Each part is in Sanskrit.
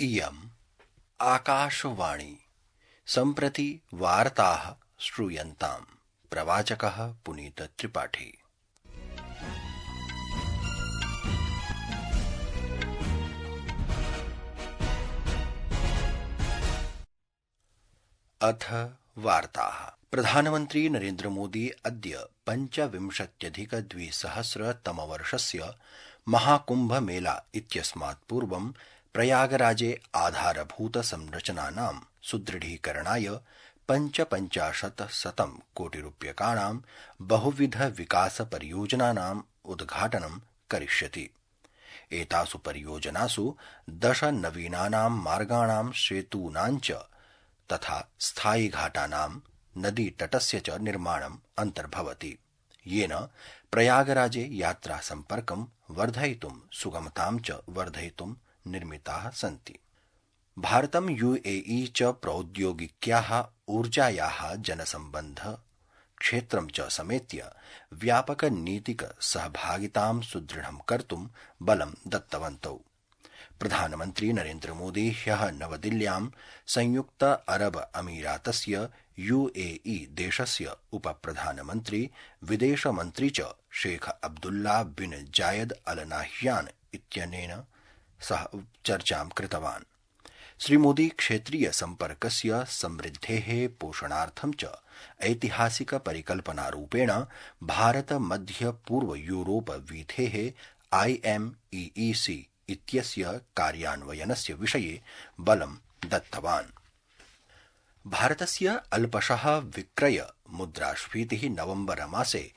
इयम् आकाशवाणी सम्प्रति वार्ताः श्रूयन्ताम्। प्रवाचकः पुनीत त्रिपाठी। अथ वार्ताः। प्रधानमन्त्री नरेन्द्र मोदी अद्य 25,200 महाकुम्भ मेला इत्यस्मात् पूर्वं प्रयागराजे आधारभूत संरचनानां सुदृढीकरणाय 55,000 कोटिरूप्यकाणां बहुविध विकास परियोजनानाम् उद्घाटनं करिष्यति। एतासु परियोजनासु 10 नवीनानां मार्गाणां सेतूनां च तथा स्थायिघाटानां नदीतटस्य च निर्माणम् अन्तर्भवति, येन प्रयागराजे यात्रा सम्पर्कं वर्धयितुं सुगमतां च वर्धयितुं निर्मिताः सन्ति। भारतं UAE च प्रौद्योगिक्याः ऊर्जायाः जनसम्बन्ध क्षेत्रं च समेत्य व्यापक नीतिक सहभागितां सुदृढं कर्तुं बलं दत्तवन्तौ। प्रधानमन्त्री नरेन्द्र मोदी ह्यः नवदिल्ल्यां संयुक्त अरब अमीरातस्य UAE देशस्य उपप्रधानमन्त्री विदेशमन्त्री च शेख अब्दुल्ला बिन जायद अल नाह्यान इत्यनेन सह चर्चां कृतवान्। श्रीमोदी क्षेत्रीय सम्पर्कस्य समृद्धेः पोषणार्थं च ऐतिहासिक परिकल्पनारूपेण भारत मध्य पूर्व यूरोप वीथेः IMEEC इत्यस्य कार्यान्वयनस्य विषये बलं दत्तवान्। भारतस्य अल्पशः विक्रय मुद्रास्फीतिः नवम्बर मासे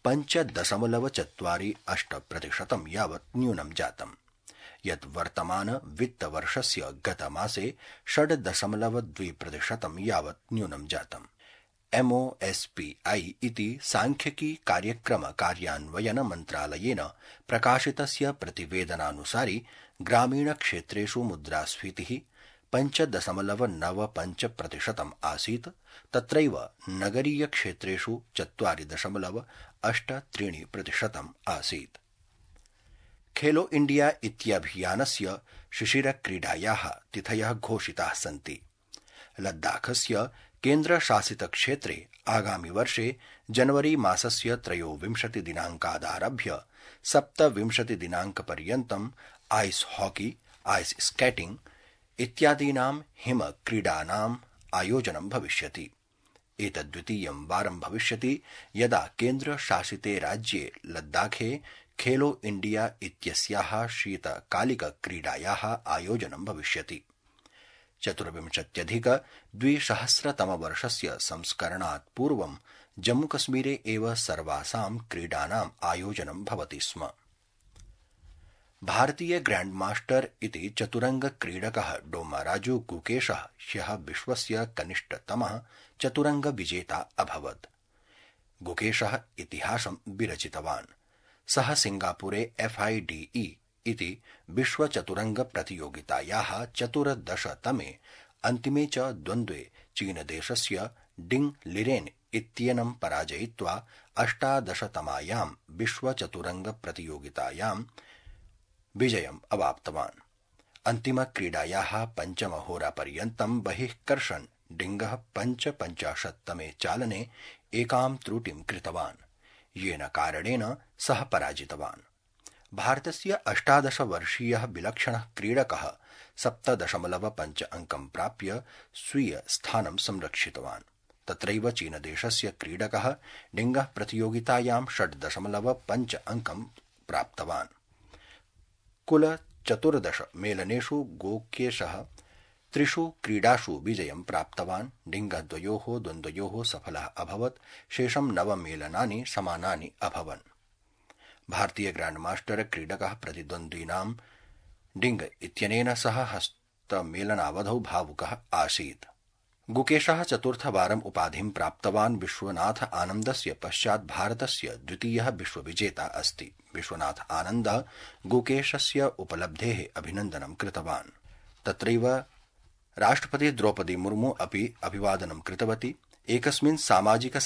5.48% यावत् न्यूनं जातम्, यत् वर्तमान वित्तवर्षस्य गतमासे 6.2% यावत् न्यूनं जातम्। MOSPI इति सांख्यिकी कार्यक्रम कार्यान्वयन मन्त्रालयेन प्रकाशितस्य प्रतिवेदनानुसारि ग्रामीणक्षेत्रेषु मुद्रास्फीतिः 5.95% आसीत्, तत्रैव नगरीयक्षेत्रेषु 4.83% आसीत्। खेलो इंडिया इत्यभियानस्य शिशिरक्रीडायाः तिथयः घोषिताः सन्ति। लद्दाखस्य केन्द्रशासितक्षेत्रे आगामि वर्षे जनवरी मासस्य 23 दिनाङ्कादारभ्य 27 दिनाङ्कपर्यन्तम् आइस हॉकी, आइस स्केटिंग इत्यादीनां हिमक्रीडानाम् आयोजनं भविष्यति। एतद्द्वितीयं वारं भविष्यति यदा केन्द्रशासिते राज्ये लद्दाखे खेलो इंडिया इत्यस्याः शीतकालिकक्रीडायाः आयोजनं भविष्यति। 24,200 संस्करणात् पूर्वं जम्मूकश्मीरे एव सर्वासां क्रीडानाम् आयोजनं भवति स्म। भारतीय ग्रैण्डमास्टर इति चतुरंगक्रीडकः डोम्माराजु गुकेशः ह्यः विश्वस्य कनिष्ठतमः चतुरंगविजेता अभवत्। गुकेशः इतिहासं विरचितवान्। सः सिंगापुरे FIDE इति विश्वचतुरंगप्रतियोगितायाः 14तमे अन्तिमे च द्वन्द्वे चीनदेशस्य डिंग लिरेन इत्येनं पराजयित्वा 18तमायां विश्वचतुरंगप्रतियोगितायां विजयम् अवाप्तवान्। अन्तिमक्रीडायाः पञ्चमहोरापर्यन्तं बहिष्कर्षन् डिंगः 55तमे चालने एकां त्रुटिं कृतवान्, येन कारणेन सः पराजितवान्। भारतस्य 18-वर्षीयः विलक्षणः क्रीडकः 7.5 अंकं प्राप्य स्वीय स्थानं संरक्षितवान्। तत्रैव चीनदेशस्य क्रीडकः डिंगः प्रतियोगितायां 6.5 अंकं प्राप्तवान्। कुल 14 मेलनेषु गोकेशः 3 क्रीडासु विजयं प्राप्तवान्। डिंगद्वयोः द्वन्द्वयोः सफलः अभवत्। शेषं 9 मेलनानि समानानि अभवन्। भारतीय ग्रैण्डमास्टर क्रीडकः प्रतिद्वन्द्विनां डिंग इत्यनेन सह हस्तमेलनावधौ भावुकः आसीत्। गुकेशः चतुर्थवारम् उपाधिं प्राप्तवान्। विश्वनाथ आनन्दस्य पश्चात् भारतस्य द्वितीयः विश्वविजेता अस्ति। विश्वनाथ आनन्दः गुकेशस्य उपलब्धेः अभिनन्दनं कृतवान्। तत्रैव राष्ट्रपति द्रौपदी मुर्मू अपि अभिवादनं कृतवती। एकस्मिन् सामाजिक